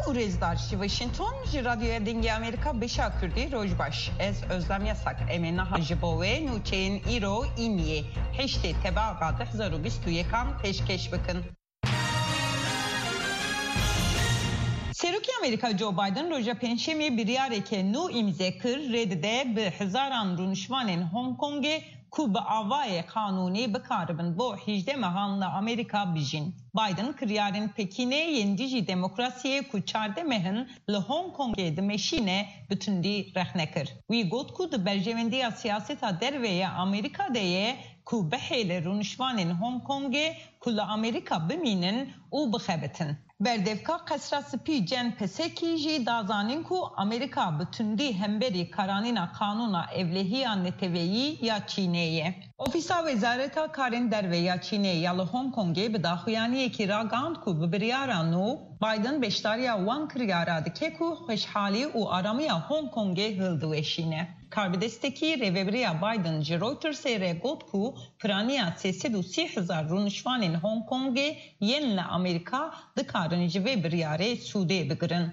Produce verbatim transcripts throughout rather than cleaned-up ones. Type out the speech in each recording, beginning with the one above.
û rêzdar ji Washington, ji Radyoya Dengê Amerîka, beşa Kurdî, roj baş. Ez Özlem Yasak, em ê niha ji bo we nûçeyên îro, îniyê heştê Tebaxa du hezar û bîst û yekan pêşkêş bikin. Serokê Amerîka Joe Biden roja Pêncşemê biryareke nû îmze kir, rê dide bi hezaran rûnişvanên Hong Kongê ku bi avayê qanûnî bikaribin bo hejdeh mehan li Amerîka bijîn. Biden kiryarên pekînê yên dijî demokrasiyê ku çardeh meh in li Hong Kongê dimeşîne bi tundî rexne kir. Wî got ku di berjewendiya siyaseta derve ya Amerîka de ye ku bihêle rûnişvanên Hong Kongê ku li Amerîka bimînin û bixebitin. Berdevka Qesra Spî Jen Psaki jî da zanîn ku Amerîka bi tundî hemberî karanîna qanûna ewlehiya neteweyî ya Çînê ye. Ofîsa Wezareta Karên Derve ya Çînê ya li Hong Kongê bi daxuyaniyekî ragihand ku bi biryara nû Biden beşdariya wan kiryara dike ku xweşhalî û aramiya Hong Kongê hildiweşîne. Karbidestekî rêvebiriya Biden ji Reutersê re got ku piraniya sê sed û sî hezar rûnişvanên Hong Kongê yên li Amerîka dikarin ji vê biryarê sûdê bigirin.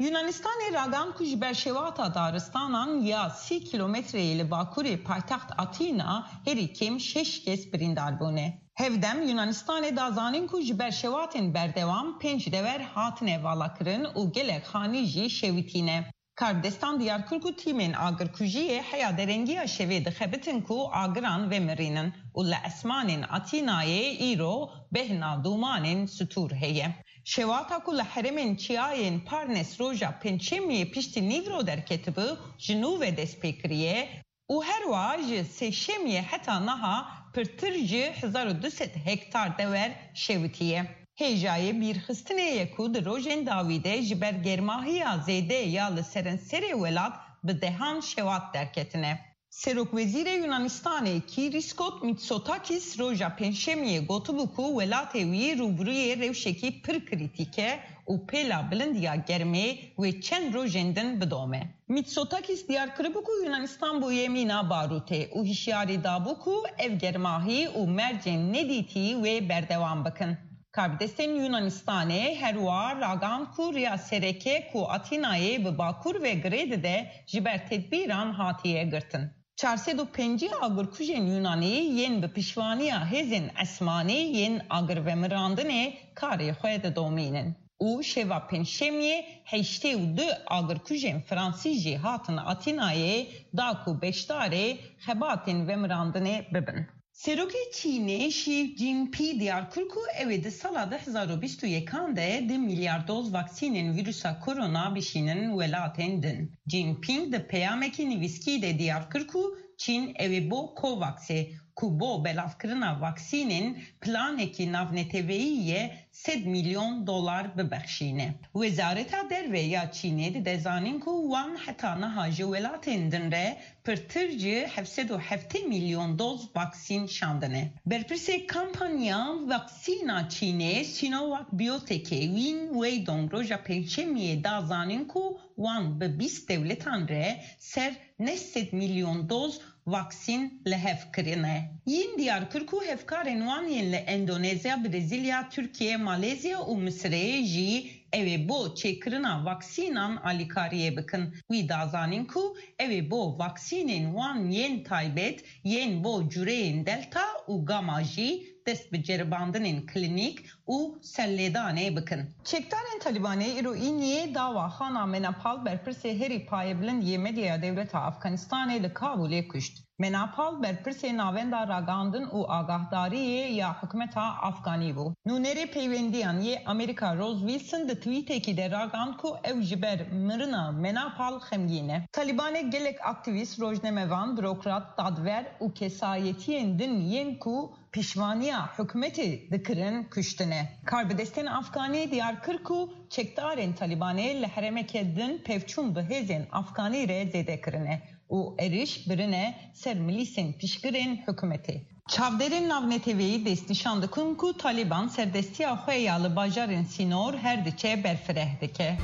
Yunanistanê ragihand ku ji ber şewata daristanan ya sî kîlometreyê li bakurê paytext Atîna herî kêm şeş kes birîndar bûne. Hevdem Yunanistanê da zanîn ku ji ber şewatên berdewam pênc dever hatine valakirin û gelek xanî jî şewitîne. Karbidestan diyar kir ku tîmên agirkujiyê heya derengiya şevê dixebitin ku agiran vemirînin û li esmanên Atînayê îro behna dûmanên stûr heye. Şewata ku li herêmên çiyayên Parnes roja Pêncşemiyê piştî nîvro derketibû, ji nû ve dest pê kiriye û herwiha ji Sêşemiyê heta niha pirtir ji hezar û du sed hektar dewer şewitiye. Hêjayê bîrxistinê ye ku di rojên dawî de ji ber germahiya zêde ya li serenserê welat bi dehan şewat derketine. Serokwezîrê Yunanistanê Kyriskos Mitsotakis roja Pêncşemiyê gotibû ku welatê wî rûbirûyê rewşekî pir krîtîk e û pêla bilind ya germê wê çend rojên din bidome. Mitsotakis diyar kiribû ku Yunanistan bûye mîna barûtê û hişyarî dabû ku ev germahî û mercên nedîtî wê berdewam bikin. Karbidestên Yunanistanê herwiha ragihand ku riya sereke ku Atînayê bi bakur ve girê dide ji ber tedbîran hatiye girtin. Çar sed û pêncî agirkujên Yunanî yên bi piştevaniya hêzên esmanî yên agirvemirandinê karê xwe didomînin û şeva Pêncşemiyê heştê û du agirkujên Fransî jî hatin Atînayê da ku beşdarê xebatên vemirandinê bibin. Serokê Çînê Xi Jinping diyar kir ku ew ê di sala du hezar û bîst û yekan de du milyar doz vaksînên vîrusa korona bişînin welatên din. Jinping di peyamekî nivîskî de diyar kir ku Çîn ew ê bo COVAXê, ku bo belavkirina vaksînên planekî navneteweyî ye, sed milyon dolar bibexşîne. Wezareta Derve ya Çînê dide zanîn ku wan heta niha ji welatên din re pirtir ji heft sed û heftê milyon doz vaksîn şandine. Berpirsê kampanya vaksîna Çînê Sinovac Biotechê Win Weidong roja Pêncşemiyê da zanîn ku wan bi bîst dewletan re ser neh sed milyon doz vaksîn li hev kirine. Yin diyar kir ku hevkarên wan yên li Endonezya, Brezîlya, Tirkiye, Malezya û Misirê jî ew ê bo çêkirina vaksînan alîkariyê bikin. Wî da zanîn ku ew ê bo vaksînên wan yên taybet, yên bo cureyên Delta û Gamma jî dest bi ceribandinên klînîk û serlêdanê bikin. Çekdarên Talîbanê îro îniyê dawa Xana Menapal, berpirsê herî payebilind yê medyaya dewleta Afganistanê, li Kabûlê kuşt. Menapal berpirsê Navenda Ragihandin û Agahdariyê ya hikûmeta Afganî bû. Nûnerê peywendiyan yê Amerîka Rose Wilson di twîtekî de ragihand ku ew ji ber mirina Menapal xemgîn e. Talîbanê gelek aktîvîst, rojnamevan, burokrat, dadver û kesayetiyên din yên ku piştevaniya hikûmetê dikirin kuştine. Karbidestên Afganî diyar kir ku çekdarên Talîbanê li herêmeke din pevçûn bi hêzên Afganî re zêde kirine û êrîş birine ser milîsên piştgirên hikûmetê. Çavdêrên navneteweyî destnîşan dikin ku Talîban serdestiya xwe ya li bajarên sînor her diçe berfireh dike.